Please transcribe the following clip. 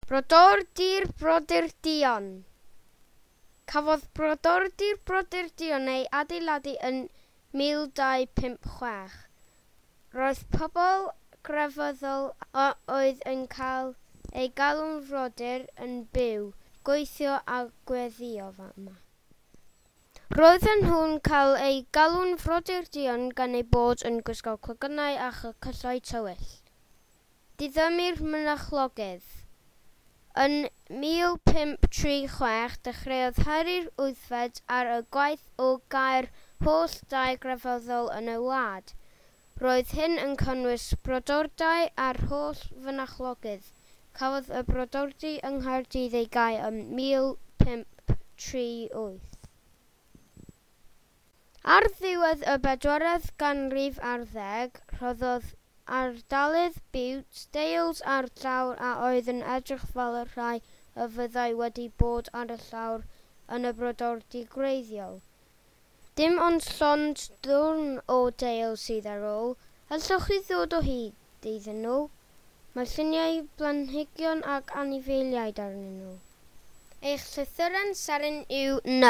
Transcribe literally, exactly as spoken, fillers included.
Brodordy'r Brodyr Duon. Cafodd Brodordy'r Brodyr Duon ei adeiladu yn mil dau pump chwech. Roedd pobl grefyddol a oedd yn cael eu galw'n frodyr yn byw, gweithio a gweddïo yma. Roedden nhw'n cael eu galw'n Frodyr Duon gan eu bod yn gwisgo clogynnau a chyllau tywyll. Diddymu'r mynachlogydd. Yn mil pump tri chwech dechreuodd Harri'r Wythfed ar y gwaith o gau'r holl dai grefyddol yn y wlad. Roedd hyn yn cynnwys brodordai a'r holl fynachlogydd. Cafodd y brodordy yng Nghaerdydd ei gau ym mil pump tri wyth. Ar ddiwedd y bedwaredd ganrif ar ddeg, rhoddodd Ardalydd Bute deils ar llawr a oedd yn edrych fel y rhai a fyddai wedi bod ar y llawr yn y brodordy gwreiddiol. Dim ond llond dwrn o deils sydd ar ôl. Allwch chi ddod o hyd iddyn nhw? Mae lluniau blanhigion ac anifeiliaid arnyn nhw. Eich llythyren seren yw N.